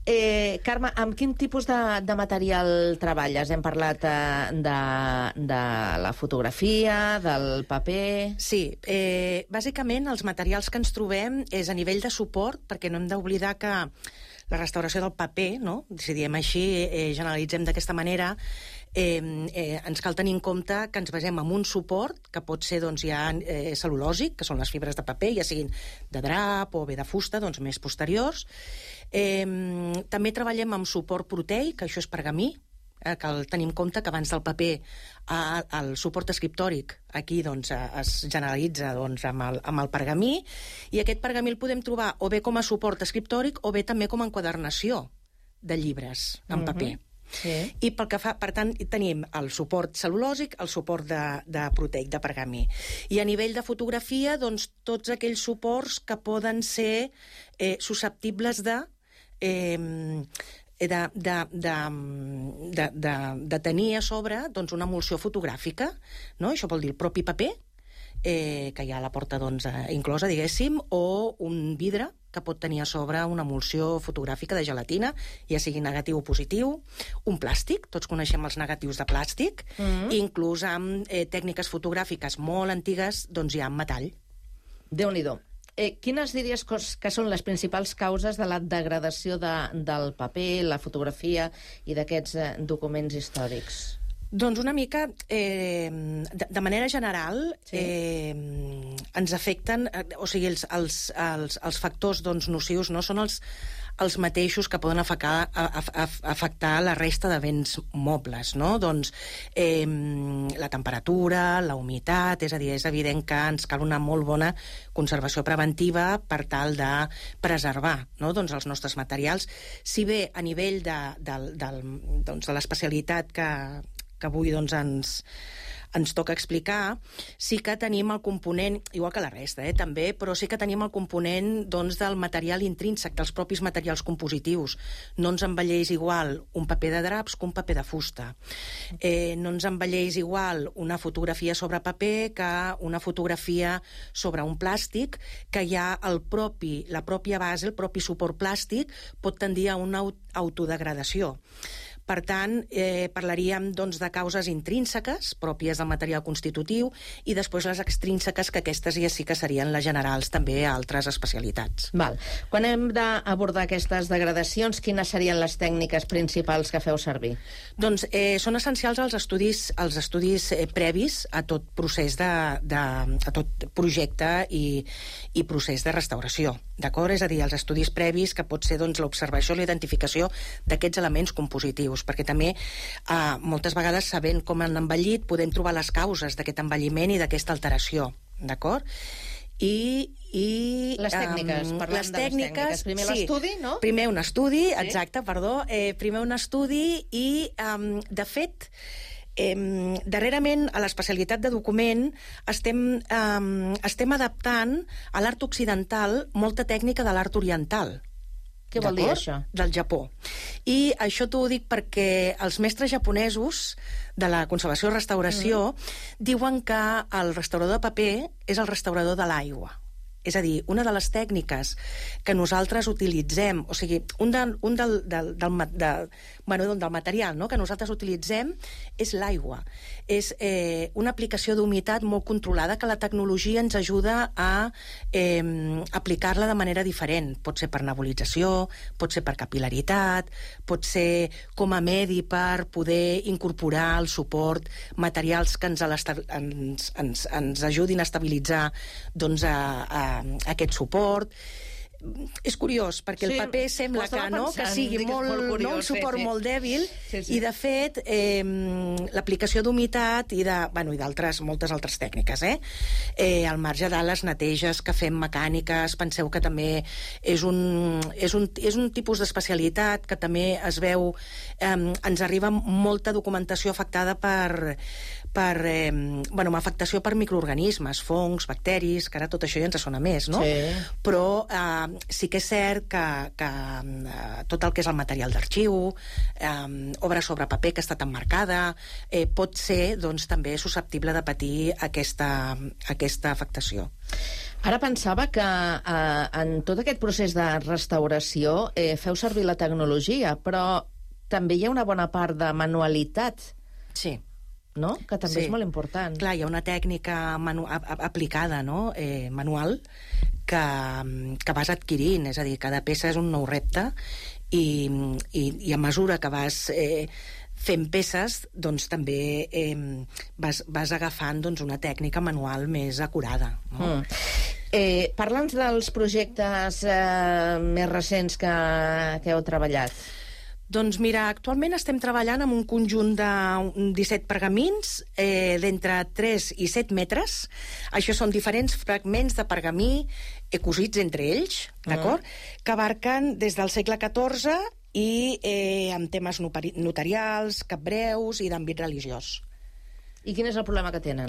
Carme, amb quin tipus de material treballes? Hem parlat de la fotografia, del paper... Sí, bàsicament els materials que ens trobem és a nivell de suport, perquè no hem d'oblidar que la restauració del paper, no? Si diem així, generalitzem d'aquesta manera, ens cal tenir en compte que ens basem en un suport que pot ser ja cel·lulòsic, que són les fibres de paper, ja siguin de drap o bé de fusta, més posteriors. També treballem amb suport proteic, que això és pergamí, cal tenir en compte que abans del paper el suport escriptòric aquí es generalitza amb el pergamí, i aquest pergamí el podem trobar o bé com a suport escriptòric o bé també com a enquadernació de llibres en paper. I pel que fa, per tant, tenim el suport cel·lulòsic, el suport de proteic, de pergamí. I a nivell de fotografia, tots aquells suports que poden ser susceptibles de tenir a sobre una emulsió fotogràfica, no? Això vol dir el propi paper, que ja la porta inclosa, diguéssim, o un vidre que pot tenir a sobre una emulsió fotogràfica de gelatina, ja sigui negatiu o positiu, un plàstic, tots coneixem els negatius de plàstic, inclús amb tècniques fotogràfiques molt antigues, ja amb metall. Déu-n'hi-do. Quines diries que són les principals causes de la degradació del paper, la fotografia i d'aquests documents històrics? Doncs una mica, de manera general, ens afecten, o sigui, els factors nocius no són els mateixos que poden afectar la resta de béns mobles, no? Doncs la temperatura, la humitat, és a dir, és evident que ens cal una molt bona conservació preventiva per tal de preservar, no? Doncs els nostres materials. Si bé a nivell de l'especialitat que avui ens toca explicar, sí que tenim el component, igual que la resta, també, però sí que tenim el component del material intrínsec, dels propis materials compositius. No ens envelleix igual un paper de draps que un paper de fusta. No ens envelleix igual una fotografia sobre paper que una fotografia sobre un plàstic, que ja la pròpia base, el propi suport plàstic, pot tendir a una autodegradació. Per tant, parlaríem de causes intrínseques, pròpies del material constitutiu, i després les extrínseques, que aquestes ja sí que serien les generals també a altres especialitats. Val. Quan hem d'abordar aquestes degradacions, quines serien les tècniques principals que feu servir? Doncs són essencials els estudis previs a tot procés a tot projecte i procés de restauració. D'acord? És a dir, els estudis previs, que pot ser l'observació i la identificació d'aquests elements compositius, perquè també moltes vegades, sabent com han envellit, podem trobar les causes d'aquest envelliment i d'aquesta alteració. D'acord? I les tècniques, parlant de les tècniques. Primer l'estudi, no? Primer un estudi, exacte, perdó. Primer un estudi i, de fet, darrerament a l'especialitat de document estem adaptant a l'art occidental molta tècnica de l'art oriental. Què vol dir això? Del Japó. I això t'ho dic perquè els mestres japonesos de la conservació i restauració diuen que el restaurador de paper és el restaurador de l'aigua. És a dir, una de les tècniques que nosaltres utilitzem, o sigui, del material que nosaltres utilitzem és l'aigua. És una aplicació d'humitat molt controlada que la tecnologia ens ajuda a aplicar-la de manera diferent. Pot ser per nebulització, pot ser per capil·laritat, pot ser com a medi per poder incorporar al suport materials que ens ajudin a estabilitzar aquest suport. És curiós, perquè el paper sembla que sigui un suport molt dèbil, i de fet l'aplicació d'humitat i d'altres, moltes altres tècniques, al marge de les neteges que fem mecàniques, penseu que també és un tipus d'especialitat que també es veu, ens arriba molta documentació afectada per afectació per microorganismes, fongs, bacteris, que ara tot això ja ens sona més, no? Però sí que és cert que tot el que és el material d'arxiu, obra sobre paper que ha estat emmarcada, pot ser també susceptible de patir aquesta afectació. Ara pensava que en tot aquest procés de restauració feu servir la tecnologia, però també hi ha una bona part de manualitat. Sí. No? Que també és molt important. Clar, hi ha una tècnica aplicada, no? Manual, que vas adquirint, és a dir, cada peça és un nou repte i a mesura que vas fent peces, doncs també vas agafant una tècnica manual més acurada. No? Parla'ns dels projectes més recents que heu treballat. Doncs mira, actualment estem treballant amb un conjunt de 17 pergamins d'entre 3 i 7 metres. Això són diferents fragments de pergamí cosits entre ells, d'acord? Que abarquen des del segle XIV i amb temes notarials, capbreus i d'àmbit religiós. I quin és el problema que tenen?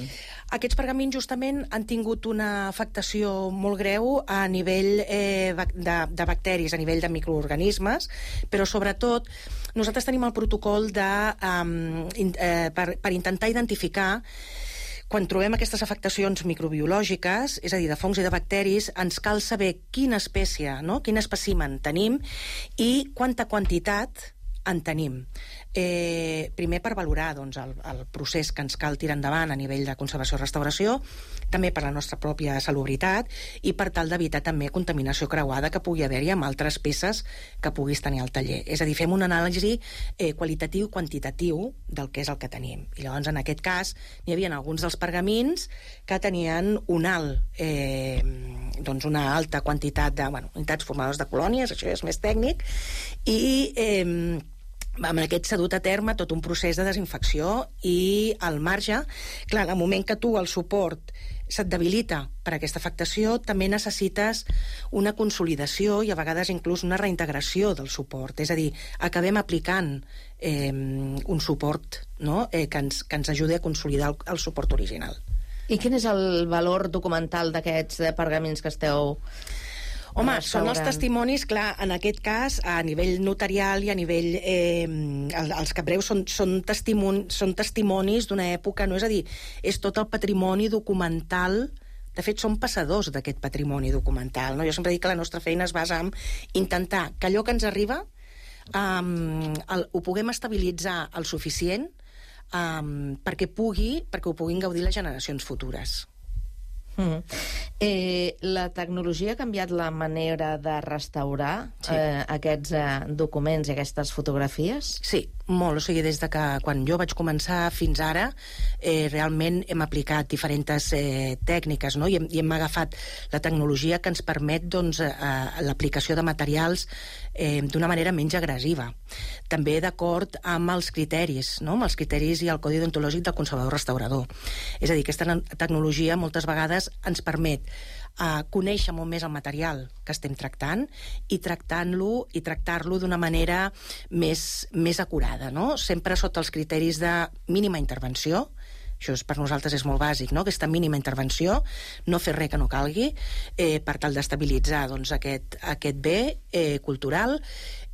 Aquests pergamins justament han tingut una afectació molt greu a nivell de bacteris, a nivell de microorganismes, però sobretot nosaltres tenim el protocol per intentar identificar quan trobem aquestes afectacions microbiològiques, és a dir, de fongs i de bacteris, ens cal saber quina espècie, quin espècimen tenim i quanta quantitat en tenim. Primer per valorar doncs, el procés que ens cal tirar endavant a nivell de conservació-restauració, també per la nostra pròpia salubritat i per tal d'evitar també contaminació creuada que pugui haver-hi amb altres peces que puguis tenir al taller. És a dir, fem una anàlisi qualitatiu i quantitatiu del que és el que tenim. I llavors, en aquest cas, n'hi havia alguns dels pergamins que tenien una alta quantitat de unitats formades de colònies, això és més tècnic, i amb aquest s'ha dut a terme tot un procés de desinfecció i al marge, clar, en el moment que tu el suport se't debilita per aquesta afectació, també necessites una consolidació i a vegades inclús una reintegració del suport. És a dir, acabem aplicant un suport, no? que ens ajudi a consolidar el suport original. I quin és el valor documental d'aquests pergamins que esteu Home, restaurant? són els testimonis, clar, en aquest cas, a nivell notarial i a nivell... els capbreus són testimonis d'una època, no? És a dir, és tot el patrimoni documental. De fet, som passadors d'aquest patrimoni documental, no? Jo sempre dic que la nostra feina es basa en intentar que allò que ens arriba ho puguem estabilitzar el suficient perquè ho puguin gaudir les generacions futures. La tecnologia ha canviat la manera de restaurar aquests documents i aquestes fotografies? Sí, molt. O sigui, des de que quan jo vaig començar fins ara, realment hem aplicat diferents tècniques, no? I hem agafat la tecnologia que ens permet l'aplicació de materials d'una manera menys agressiva. També d'acord amb els criteris, no? Amb els criteris i el codi deontològic del conservador-restaurador. És a dir, aquesta tecnologia moltes vegades ens permet conèixer molt més el material que estem tractant i tractar-lo d'una manera més acurada, no? Sempre sota els criteris de mínima intervenció. Això per nosaltres és molt bàsic, no? Aquesta mínima intervenció, no fer res que no calgui, per tal d'estabilitzar aquest bé cultural,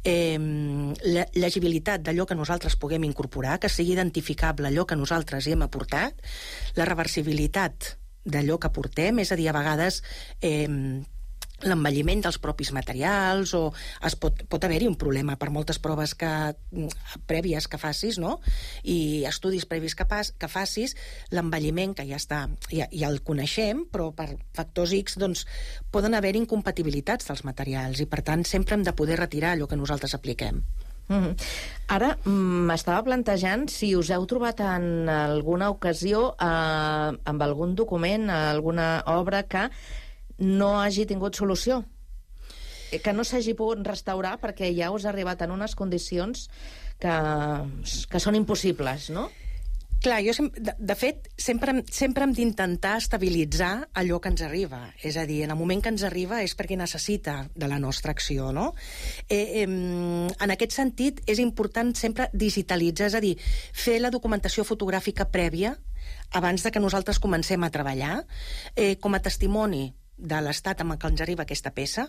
l'agilitat d'allò que nosaltres puguem incorporar, que sigui identificable allò que nosaltres hi hem aportat, la reversibilitat d'allò que portem, és a dir, a vegades l'envelliment dels propis materials, o pot haver-hi un problema per moltes proves prèvies que facis, no? I estudis previs que facis, l'envelliment que ja està, ja el coneixem, però per factors X poden haver incompatibilitats dels materials i per tant sempre hem de poder retirar allò que nosaltres apliquem. Ara m'estava plantejant si us heu trobat en alguna ocasió amb algun document, alguna obra que no hagi tingut solució, que no s'hagi pogut restaurar perquè ja us ha arribat en unes condicions que són impossibles, no? Clar, jo, de fet, sempre hem d'intentar estabilitzar allò que ens arriba. És a dir, en el moment que ens arriba és perquè necessita de la nostra acció, no? En aquest sentit, és important sempre digitalitzar, és a dir, fer la documentació fotogràfica prèvia abans de que nosaltres comencem a treballar, com a testimoni de l'estat amb el que ens arriba aquesta peça,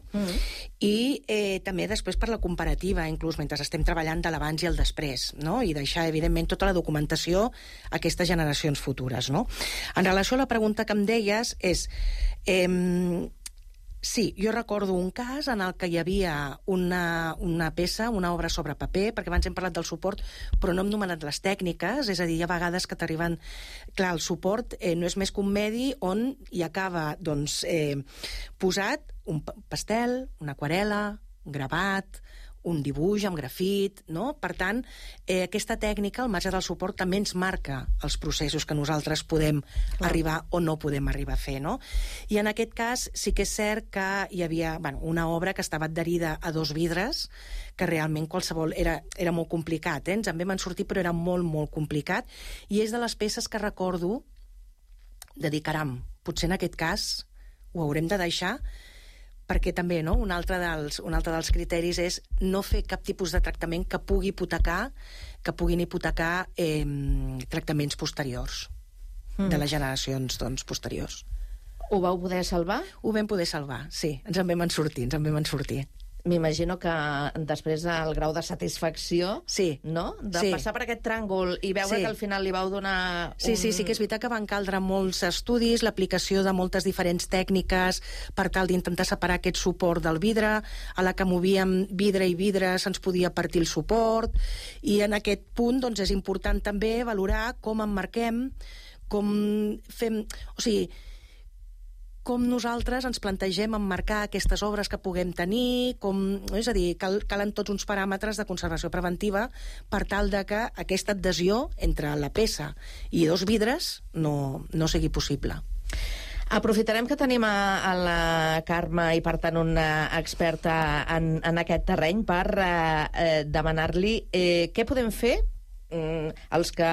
i també després per la comparativa, inclús mentre estem treballant de l'abans i el després, no? I deixar, evidentment, tota la documentació a aquestes generacions futures, no? En relació a la pregunta que em deies, és... Sí, jo recordo un cas en el que hi havia una peça, una obra sobre paper, perquè abans hem parlat del suport, però no hem nomenat les tècniques, és a dir, hi ha vegades que t'arriben... Clar, el suport no és més que un medi on hi acaba, posat un pastel, una aquarel·la, un gravat, un dibuix amb grafit, no? Per tant, aquesta tècnica, al marge del suport, també ens marca els processos que nosaltres podem arribar o no podem arribar a fer, no? I en aquest cas sí que és cert que hi havia una obra que estava adherida a 2 vidres, que realment qualsevol... Era molt complicat, ens en vam sortir, però era molt, molt complicat, i és de les peces que recordo de dir, caram, potser en aquest cas ho haurem de deixar, perquè també, no? Un altre dels criteris és no fer cap tipus de tractament que puguin hipotecar tractaments posteriors de les generacions posteriors. Ho vau poder salvar? Ho vam poder salvar, sí. Ens en vam sortir. m'imagino que després el grau de satisfacció, no? De passar per aquest tràngol i veure que al final li vau donar... Sí, que és veritat que van caldre molts estudis, l'aplicació de moltes diferents tècniques per tal d'intentar separar aquest suport del vidre. A la que movíem vidre i vidre se'ns podia partir el suport, i en aquest punt doncs, és important també valorar com emmarquem, com fem... O sigui, com nosaltres ens plantegem emmarcar aquestes obres que puguem tenir, és a dir, calen tots uns paràmetres de conservació preventiva per tal de que aquesta adhesió entre la peça i dos vidres no sigui possible. Aprofitarem que tenim a la Carme i, per tant, una experta en aquest terreny per demanar-li què podem fer els que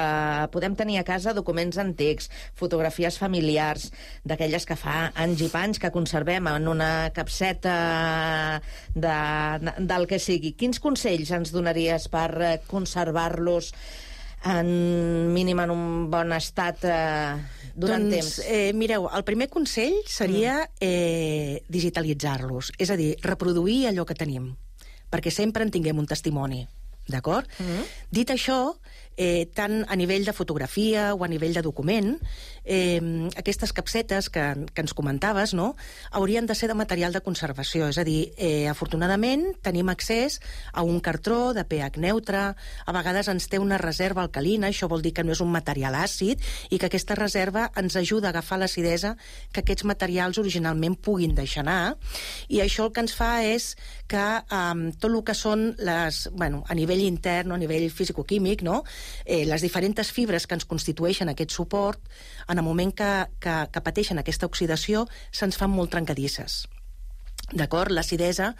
podem tenir a casa documents antics, fotografies familiars, d'aquelles que fa anys i panys que conservem en una capseta del que sigui. Quins consells ens donaries per conservar-los mínim en un bon estat durant temps? Mireu, el primer consell seria digitalitzar-los, és a dir, reproduir allò que tenim, perquè sempre en tinguem un testimoni. D'acord? Dit això, tant a nivell de fotografia o a nivell de document, aquestes capsetes que ens comentaves, no?, haurien de ser de material de conservació. És a dir, afortunadament tenim accés a un cartró de pH neutre, a vegades ens té una reserva alcalina, això vol dir que no és un material àcid, i que aquesta reserva ens ajuda a agafar l'acidesa que aquests materials originalment puguin deixar anar, i això el que ens fa és que tot el que són a nivell intern o a nivell fisicoquímic, no?, les diferents fibres que ens constitueixen aquest suport, en el moment que pateixen aquesta oxidació, se'ns fan molt trencadisses. D'acord? L'acidesa,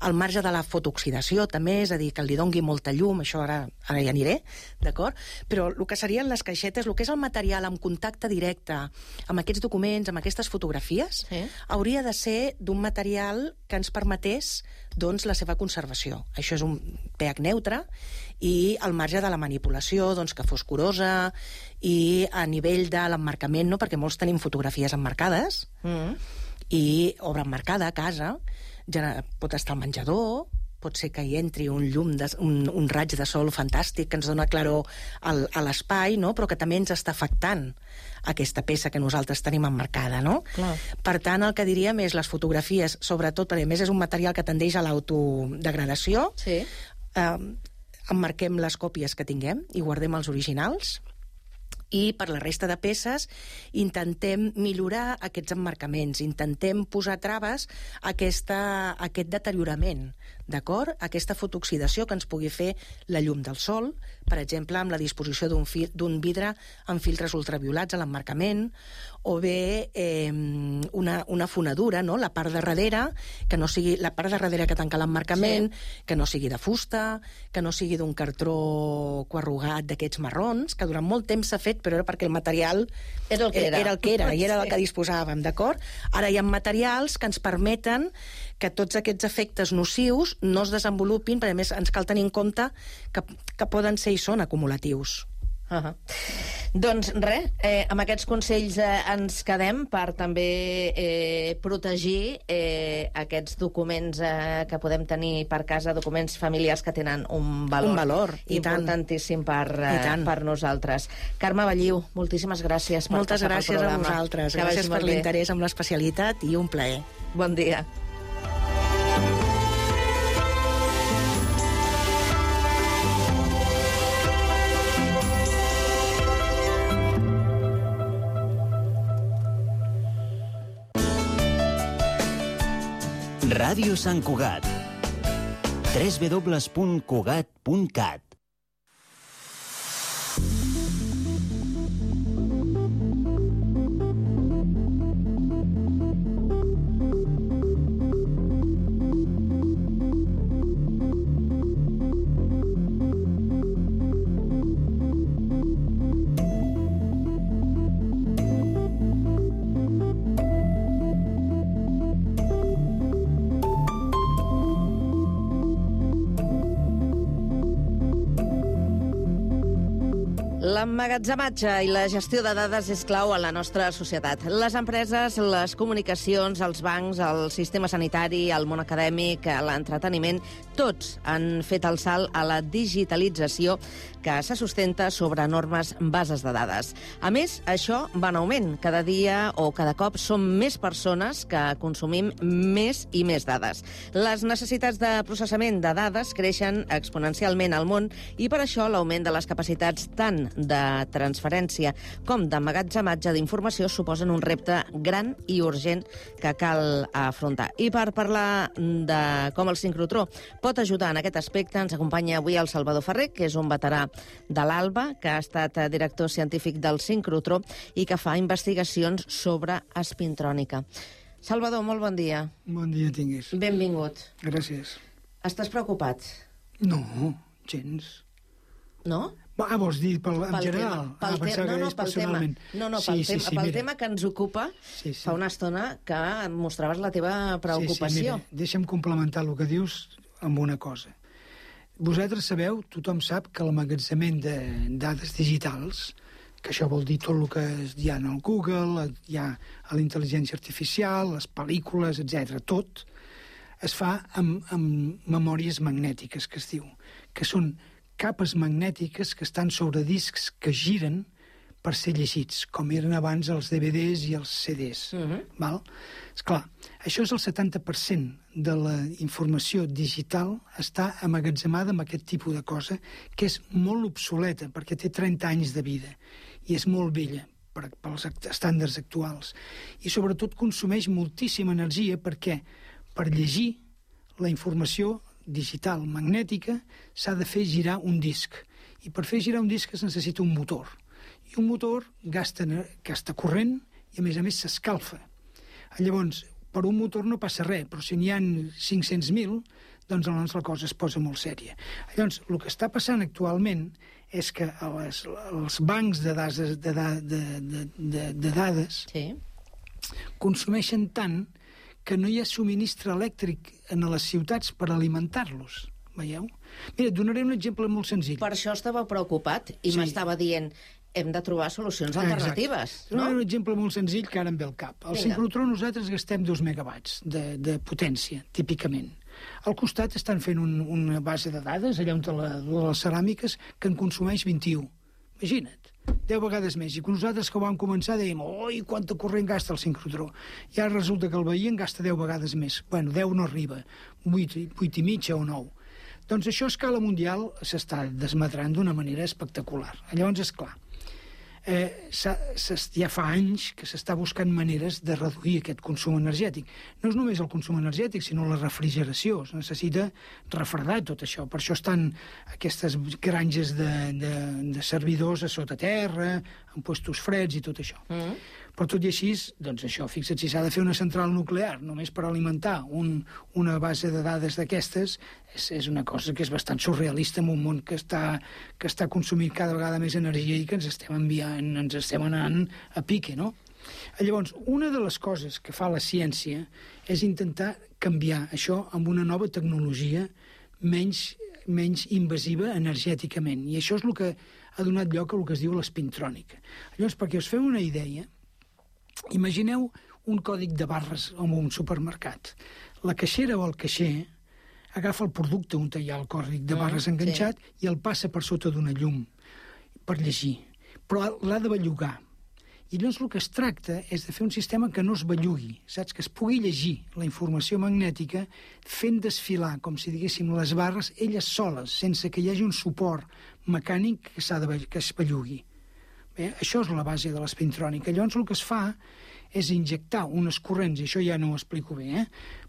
al marge de la fotooxidació també, és a dir, que li dongui molta llum, això ara hi aniré, d'acord? Però el que serien les caixetes, el que és el material amb contacte directe amb aquests documents, amb aquestes fotografies, hauria de ser d'un material que ens permetés doncs, la seva conservació. Això és un pH neutre, i al marge de la manipulació, doncs, que fos curosa, i a nivell de l'emmarcament, no?, perquè molts tenim fotografies emmarcades, i obra emmarcada a casa, pot estar al menjador, pot ser que hi entri un llum, un raig de sol fantàstic que ens dona claror a l'espai, no?, però que també ens està afectant aquesta peça que nosaltres tenim emmarcada, no? Clar. Per tant, el que diríem és les fotografies, sobretot, perquè a més és un material que tendeix a l'autodegradació, emmarquem les còpies que tinguem i guardem els originals, i per la resta de peces intentem millorar aquests emmarcaments, intentem posar traves a aquest deteriorament, d'acord? Aquesta fotooxidació que ens pugui fer la llum del sol, per exemple, amb la disposició d'un vidre amb filtres ultraviolats a l'emmarcament, o bé una fonadura, no?, la part de darrere, que no sigui la part de darrere que tanca l'emmarcament, que no sigui de fusta, que no sigui d'un cartró coarrugat d'aquests marrons, que durant molt temps s'ha fet, però era perquè el material era el que era i era el que disposàvem, d'acord? Ara hi ha materials que ens permeten que tots aquests efectes nocius no es desenvolupin, perquè a més ens cal tenir en compte que poden ser i són acumulatius. Doncs res, amb aquests consells ens quedem per també protegir aquests documents que podem tenir per casa, documents familiars que tenen un valor importantíssim per nosaltres. Carme Balliu, moltíssimes gràcies per Moltes gràcies a vosaltres. Gràcies per l'interès amb l'especialitat i un plaer. Bon dia. Ràdio Sant Cugat. www.cugat.cat. L'emmagatzematge i la gestió de dades és clau a la nostra societat. Les empreses, les comunicacions, els bancs, el sistema sanitari, el món acadèmic, l'entreteniment, tots han fet el salt a la digitalització que se sustenta sobre enormes bases de dades. A més, això va en augment. Cada dia o cada cop som més persones que consumim més i més dades. Les necessitats de processament de dades creixen exponencialment al món i per això l'augment de les capacitats tant de transferència com d'emmagatzematge d'informació suposen un repte gran i urgent que cal afrontar. I per parlar de com el sincrotró pot ajudar en aquest aspecte, ens acompanya avui el Salvador Ferrer, que és un veterà de l'ALBA, que ha estat director científic del sincrotró i que fa investigacions sobre espintrònica. Salvador, molt bon dia. Bon dia tinguis. Benvingut. Gràcies. Estàs preocupat? No, gens. No? Vols dir en general? Pel tema que ens ocupa, fa una estona que mostraves la teva preocupació. Mira, deixa'm complementar el que dius amb una cosa. Vosaltres sabeu, tothom sap que l'emmagatzemament de dades digitals, que això vol dir tot el que hi ha en el Google, hi ha a la intel·ligència artificial, les pel·lícules, etc. tot, es fa amb memòries magnètiques, que es diu, que són capes magnètiques que estan sobre discs que giren per ser llegits, com eren abans els DVDs i els CDs. Val? Esclar, això és el 70% de la informació digital està emmagatzemada amb aquest tipus de cosa, que és molt obsoleta, perquè té 30 anys de vida, i és molt vella pels estàndards actuals. I sobretot consumeix moltíssima energia perquè per llegir la informació digital magnètica s'ha de fer girar un disc. I per fer girar un disc es necessita un motor. I un motor gasta corrent i, a més, s'escalfa. Llavors, per un motor no passa res, però si n'hi ha 500.000, doncs la cosa es posa molt sèria. Llavors, el que està passant actualment és que els bancs de dades consumeixen tant que no hi ha subministre elèctric en les ciutats per alimentar-los. Veieu? Mira, et donaré un exemple molt senzill. Per això estava preocupat i m'estava dient hem de trobar solucions alternatives. No? Un exemple molt senzill que ara em ve al cap. Al sincrotró nosaltres gastem 2 megawatts de potència, típicament. Al costat estan fent una base de dades, allà on les ceràmiques, que en consumeix 21. Imagina't. 10 vegades més. I nosaltres que ho vam començar dèiem oi, quanta corrent gasta el sincrotró. I ara resulta que el veí en gasta 10 vegades més. Bueno, 10 no arriba, 8 i mitja o 9. Doncs això a escala mundial s'està desmadrant d'una manera espectacular. Llavors, esclar, ja fa anys que s'està buscant maneres de reduir aquest consum energètic. No és només el consum energètic, sinó la refrigeració. Es necessita refredar tot això. Per això estan aquestes granges de servidors a sota terra, en puestos freds i tot això. Però tot i així, doncs això, fixa't, si s'ha de fer una central nuclear només per alimentar una base de dades d'aquestes, és una cosa que és bastant surrealista en un món que està consumint cada vegada més energia i que ens estem anant a pique, no? Llavors, una de les coses que fa la ciència és intentar canviar això amb una nova tecnologia menys invasiva energèticament. I això és el que ha donat lloc a el que es diu l'espintrònica. Llavors, perquè us feu una idea, imagineu un còdic de barres en un supermercat. La caixera o el caixer agafa el producte on hi ha el còdic de barres enganxat i el passa per sota d'una llum per llegir. Però l'ha de bellugar. I llavors el que es tracta és de fer un sistema que no es bellugui, saps? Que es pugui llegir la informació magnètica fent desfilar, com si diguéssim, les barres elles soles, sense que hi hagi un suport mecànic que es bellugui. Bé, això és la base de l'espintrònica. Llavors el que es fa és injectar unes corrents, i això ja no ho explico bé,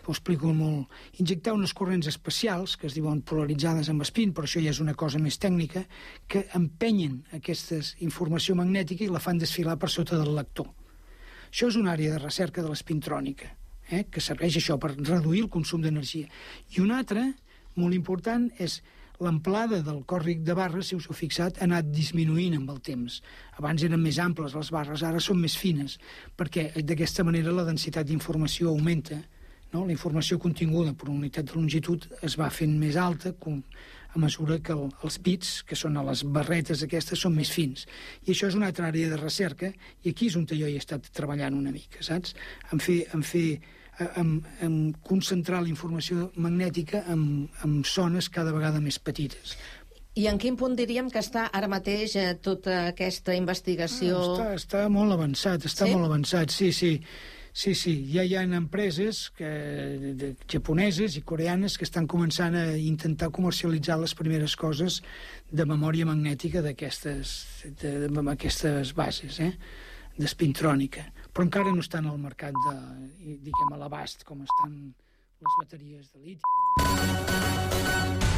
ho explico molt, injectar unes corrents especials, que es diuen polaritzades amb espín, però això ja és una cosa més tècnica, que empenyen aquesta informació magnètica i la fan desfilar per sota del lector. Això és una àrea de recerca de l'espintrònica, que serveix això per reduir el consum d'energia. I una altra, molt important, és l'amplada del còdic de barres, si us heu fixat, ha anat disminuint amb el temps. Abans eren més amples les barres, ara són més fines, perquè d'aquesta manera la densitat d'informació augmenta no? La informació continguda per unitat de longitud es va fent més alta a mesura que els bits, que són a les barretes aquestes, són més fins. I això és una altra àrea de recerca, i aquí és on jo he estat treballant una mica, saps? En concentrar la informació magnètica en zones cada vegada més petites. I en quin punt diríem que està ara mateix tota aquesta investigació? Està molt avançat, molt avançat, sí. Ja hi ha empreses japoneses i coreanes que estan començant a intentar comercialitzar les primeres coses de memòria magnètica d'aquestes bases, d'espintrònica. Però encara no estan al mercat a l'abast com estan les bateries de liti.